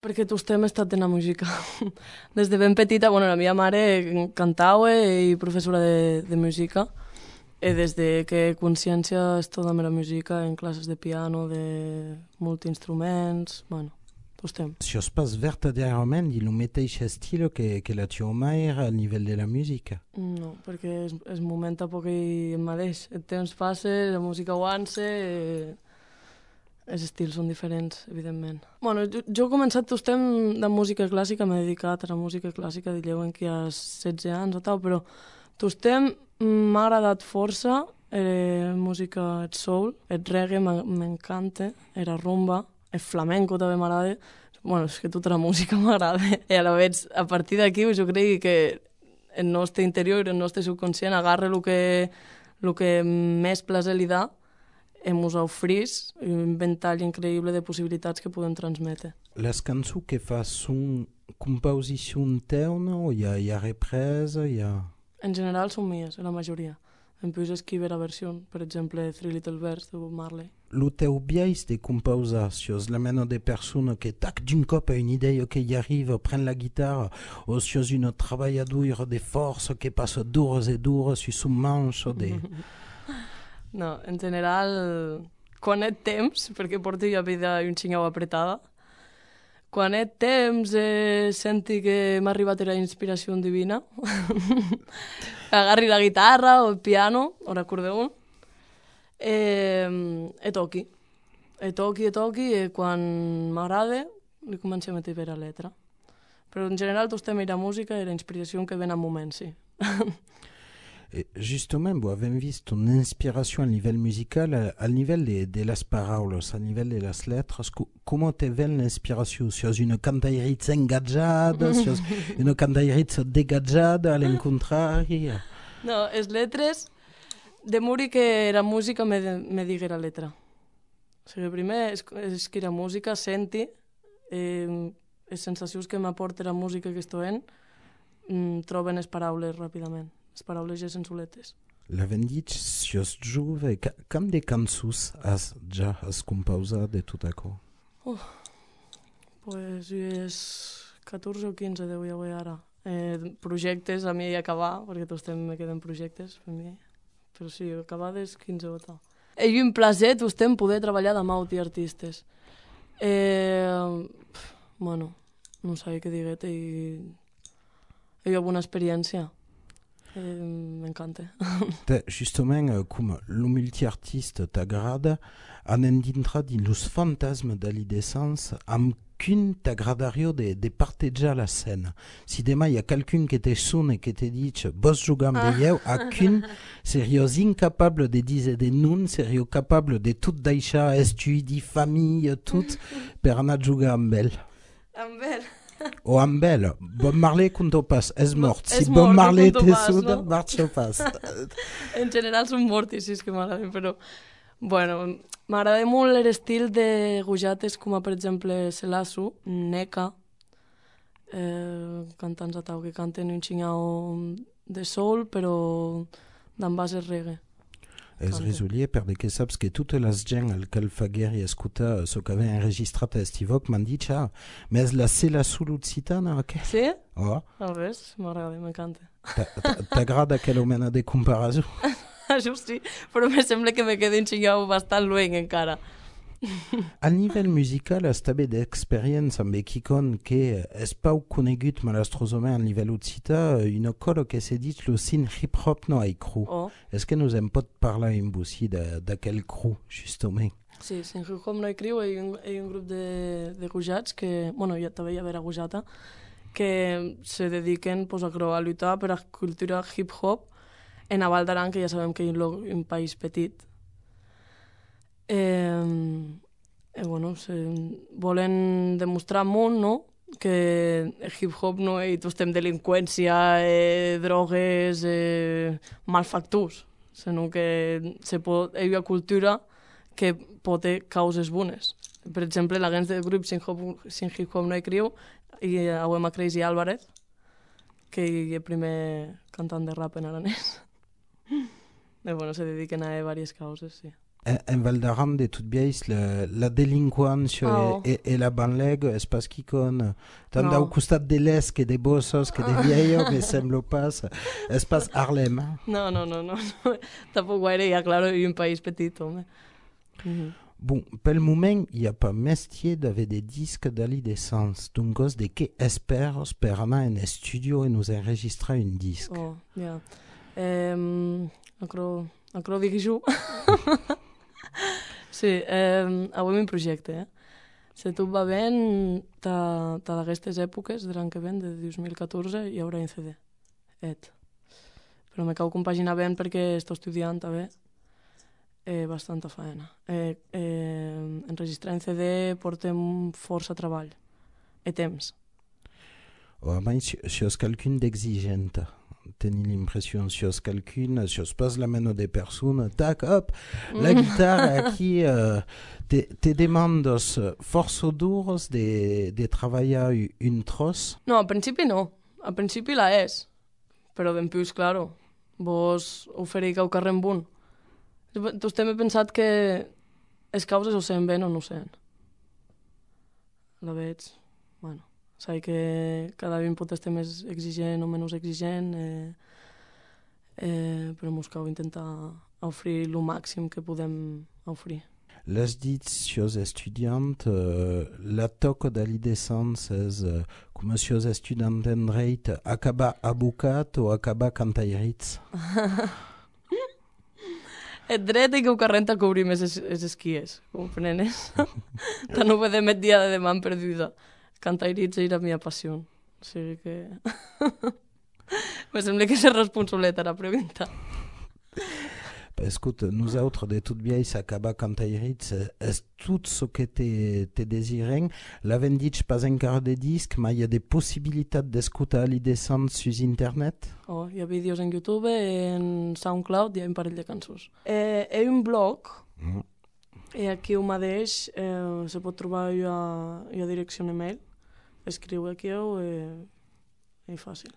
Perquè tostem estat en la música. Des de ben petita, bueno, la meva mare cantava i professora de música. I des de que consciència és tota la música en classes de piano, de multiinstruments, bueno, tostem. Si es pas verdaderament il mateix estil que la tua mare al nivell de la música? No, perquè és moment a poc el mateix. El temps passa, la música avança, els estils són diferents, evidentment. Bueno, jo he començat tostem de música clàssica, m'he dedicat a la música clàssica, diuen que hi ha 16 anys o tal, però tostem m'ha agradat força, música, el soul, el reggae m'encanta, la rumba, el flamenco també m'agrada. Bueno, és que tota la música m'agrada. I a la vegada, a partir d'aquí, jo crec que el nostre interior, el nostre subconscient, agarra el que més plaer li dà, ens oferís un ventall increïble de possibilitats que podem transmetre. Les cançons que fas són composició teuna o hi ha represa? En general són mies, la majoria. En plus escriure la versió, per exemple, Three Little Birds de Bob Marley. Lo teu biais de composar, si és la mena de persona que tac d'un cop a una idea que hi arriba, pren la guitarra, o si és una treballadora de força que passa dures i dures sur son manche de... No, en general, quan he temps, perquè porto ja vida un xingau apretada, quan he temps senti que m'ha arribat la inspiració divina, agarri la guitarra o el piano o l'acordeó, toqui. Toqui i quan m'agrada li començo a metre la letra. Però en general tostem la música i la inspiració que ven en moments, sí. Justement, vous avez vu ton inspiration à niveau musical, à niveau de las paroles, à niveau de las lettres. Comment te vient l'inspiration? Si c'est une cantaïrite engagada, si c'est une cantaïrite dégagada, à l'encontrari? No, les letres, de muri que la música me digui la letra. O sigui, primer és que la música senti les sensacions que m'aporta la música que estoy troben les paraules ràpidament. Les paraules ja sensoletes. L'avem dit, si és jove, com de cançons ja has composat de tot això? Pues és 14 o 15 deu haver ara. Projectes a mi acabar, perquè tots me queden projectes per mi, però sí, acabades 15 o tal. És un plaer poder treballar amb altres artistes. Bueno, no sé què dir-te, hi ha una experiència. M'encanta. Justement, com lo multiartiste t'agrada, anem dintre dins los fantasmes de l'adolescència amb qu'un t'agradaria de partejar la scène. Si demà hi ha quelqu'un que te sona i que te dit vos jugar amb veieu, a qu'un seriós incapable de dir de nun, seriós capable de tot deixar, estudi, família, tot, per anar a jugar amb ell. Amb ell? O amb ell. Bob Marley, quan ho pas, és mort. Si Bob Marley te sona, marxa pas. En general són morts, sí, és que m'agraden, però... Bueno, m'agrada molt l'estil de gujates com per exemple Selasu, Neka, cantants a tau que canten un xingau de soul, però d'en base reggae. És risolier perquè saps que totes les gent al que el faguer i escolta el que havia enregistrat a Estivok m'han dit més la Selasu l'occitana, què? Sí? Oh. A ves, m'agrada, m'encanta. T'agrada aquella mena de comparació? Això sí, però me sembla que me quedi un xingau bastant lueng encara. A nivell musical, has també d'experiència amb Ekikon que és poc conegut malastrosament a nivell occità, una cosa que s'ha dit lo sin hip-hop no hi cru. És que nos en pot parlar en bussi d'aquell cru, justament. Sí, sin hip-hop no hi criu, hi ha un grup de gujats que, bueno, ja també hi ha gujata, que se dediquen pues, a lluitar per la cultura hip-hop en a Val d'Aran, que ja sabem que és un país petit. Bueno, volen demostrar al món, no?, que el hip-hop no és tostem delinqüència, drogues, malfactors, sinó que hi ha una cultura que pot tenir causes bones. Per exemple, la gens del grup Sin Hip-Hop No Hi Criu i a Crazy Álvarez, que és el primer cantant de rap en aranès. Bueno, se dediquen a diverses causes, sí. En Val d'Aran, de tot biais, la delinqüència i la banlègue és pas qui con... Tant al costat de l'est que de Bossos, que de Viejo, me sembla pas... És pas Harlem. No. Tampoc gaire, ja, claro, i un país petit, home. Bon, pel moment, hi ha pas mestier d'haver des disques d'ali d'essence. Donc, de què esperes per anar en estudio i nos enregistrar un disc? Oh, ja. Acro dic jo. Sí, avui un projecte, Si tot va bé, d'aquestes èpoques, de l'any que ven, de 2014, hi haurà un CD. Però me cal compaginar bé perquè estic estudiant també. Bastanta faena. Enregistrar en CD portem força treball. Temps. A més, si és quelqu'un d'exigent, tenir l'impressió, si és quelqu'un, si és pas la mano de persona, tac, hop, la guitarra aquí, te demandes força dures de treballar un tros? No, al principi no. Al principi la és. Però ben plus, claro, vos oferiu al carrer amb un. Vostè m'he pensat que les causes ho sent bé o no ho sent. La veig, bueno, sé que cada un pot estar més exigent o menys exigent, però mos cal intentar oferir el màxim que podem oferir. L'has dit, si és estudiant, la toca de l'idescència és com si és estudiant en dret, acabar abocat o acabar cantairitz? El dret i que ho carrenta a cobrir més els esquies, comprenes? Tant ho vedem el dia de demà en perduda. Cantairitz és la meva passió. O sigui que... Me sembla que és responsabilitat a la pregunta. Escolta, nosaltres de tot biais acabar cantairitz és tot el que te desirem. L'havem dit pas encara de disc, però hi ha de possibilitats d'escoltar l'idescent sur internet? Hi ha vídeos en YouTube, en SoundCloud, hi ha un parell de cançons. Hi ha un blog, i aquí ho mateix se pot trobar a direcció email. Escriu aquí i fàcil.